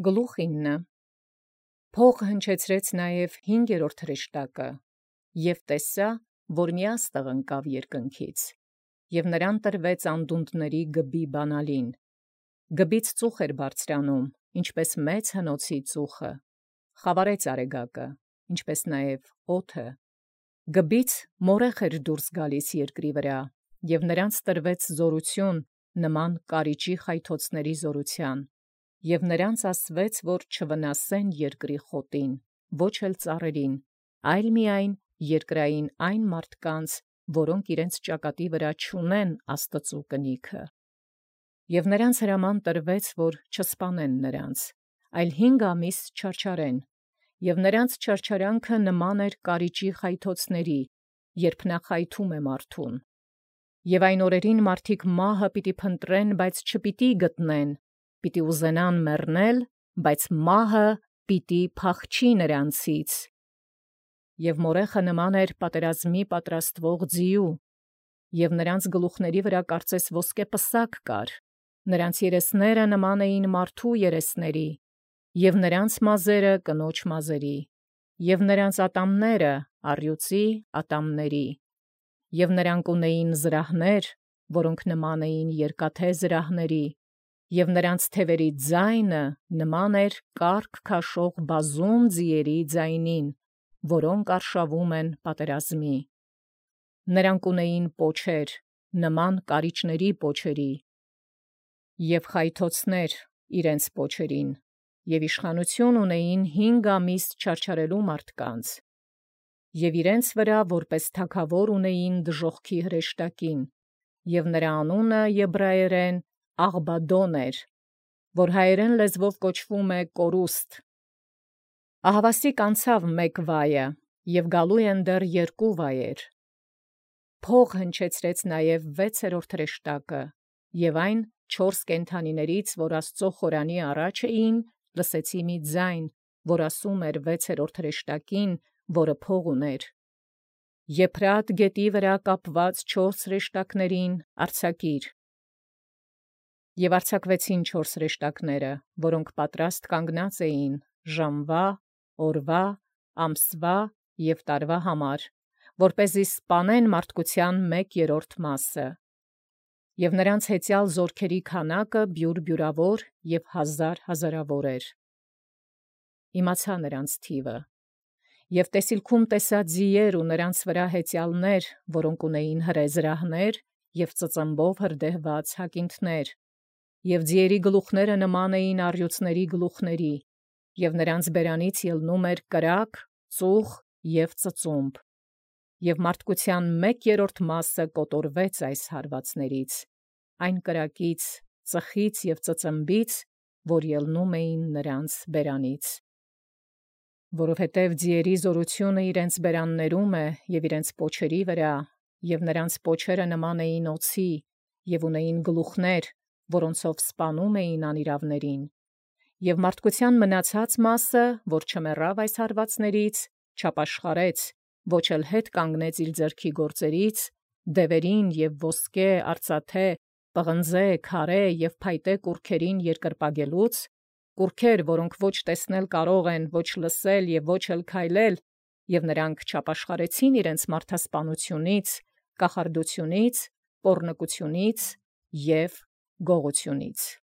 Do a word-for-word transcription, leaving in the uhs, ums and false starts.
Գլուխինը փող հնչեցրեց նաև հինգերորդ հրեշտակը, և տեսա, որ մի աստղ ընկավ երկնքից, և նրան տրվեց անդունդների գբի բանալին. գբից ծուխ էր բարձրանում, ինչպես մեծ հնոցի ծուխը, խավարեց արեգակը, ինչպես նաև օդը, գբից մորեխ էր դուրս գալիս երկրի վրա, և նրանց տրվեց զորություն նման կարիճի խայթոցների զորութեան, և նրանց ասվեց, որ չվնասեն երկրի խոտին, ոչ էլ ծառերին, այլ միայն երկրային այն մարդկանց, որոնք իրենց ճակատի վրա չունեն Աստծու կնիքը. և նրանց հրաման տրվեց, որ չսպանեն նրանց, այլ հինգ ամիս չարչարեն, և նրանց չարչարանքը նման էր կարիճի խայթոցների, երբ նա խայթում է մարդուն. և այն օրերին մարդիկ մահը պիտի փնտրեն, բայց չպիտի գտնեն, պիտի ուզենան մեռնել, բայց մահը պիտի փախչի նրանցից. և մորեխը նման էր պատերազմի պատրաստվող ձիու, և նրանց գլուխների վրա կարծես ոսկե պսակ կար, նրանց երեսները նման էին մարդու երեսների, և նրանց մազերը կնոջ մազերի, և նրանց ատամները առյուծի ատամների, և նրանք ունեին զրահներ, որոնք նման էին երկաթե զրահների, և նրանց թևերի ձայնը նման էր կառք քաշող բազում ձիերի ձայնին, որոնք արշավում են պատերազմի. նրանք ունեին պոչեր, նման կարիճների պոչերի, և խայթոցներ իրենց պոչերին, և իշխանություն ունեին հինգ ամիս չարչարելու մարդկանց, և իրենց վրա որպես թագավոր ունեին դժոխքի հրեշտակին, և նրա անունը եբրայերեն Աղբադոն էր, որ հայերեն լեզվով կոչվում է կորուստ. ահավասիկ անցավ մեկ վայը, և գալու են դեռ երկու վայեր. փող հնչեցրեց նաև վեցերորդ հրեշտակը, և այն չորս կենդանիներից, որ Աստծու խորանի առաջ էին, լսեցի մի ձայն, որ ասում էր վեցերորդ հրեշտակին, որը փող ուներ. Եփրատ գետի վրա կապված չորս հրեշտակներին արձակիր. և արձակվեցին չորս հրեշտակները, որոնք պատրաստ կանգնած էին ժամվա, օրվա, ամսվա և տարվա համար, որպեսզի սպանեն մարդկության մեկ երրորդ մասը. և նրանց հեծյալ զորքերի քանակը բյուրբյուրավոր և հազար հազարավոր էր. իմացա նրանց թիվը. և տեսիլքում տեսա ձիեր ու նրանց վրա հեծյալներ, որոնք ունեին հրե զրահներ և ծծմբով հրդեհված հակինթներ, և ձիերի գլուխները նման էին առյուծների գլուխների, և նրանց բերանից ելնում էր կրակ, ծուխ և ծծումբ, և մարդկության մեկ երրորդ մասը կոտորվեց այս հարվածներից, այն կրակից, ծխից և ծծմբից, որ ելնում էին նրանց բերանից. որովհետև ձիերի զորությունը իրենց բերաններում է և իրենց պոչերի վրա, և նրանց պոչերը նման էին օձի, և ունեին գլուխներ, որոնցով սպանում էին անիրավներին, և մարդկության մնացած մասը, որ չմեռավ այս հարվածներից, չապաշխարեց, ոչ էլ հետ կանգնեց իր ձեռքի գործերից, դևերին և ոսկե, արծաթե, պղնձե, քարե և փայտե կուռքերին երկրպագելուց, կուռքեր, որոնք ոչ տեսնել կարող են, ոչ լսել և ոչ էլ քայլել, և նրանք չապաշխարեցին իրենց մարդասպանությունից, կախարդությունից, պոռնկությունից և գողությունից։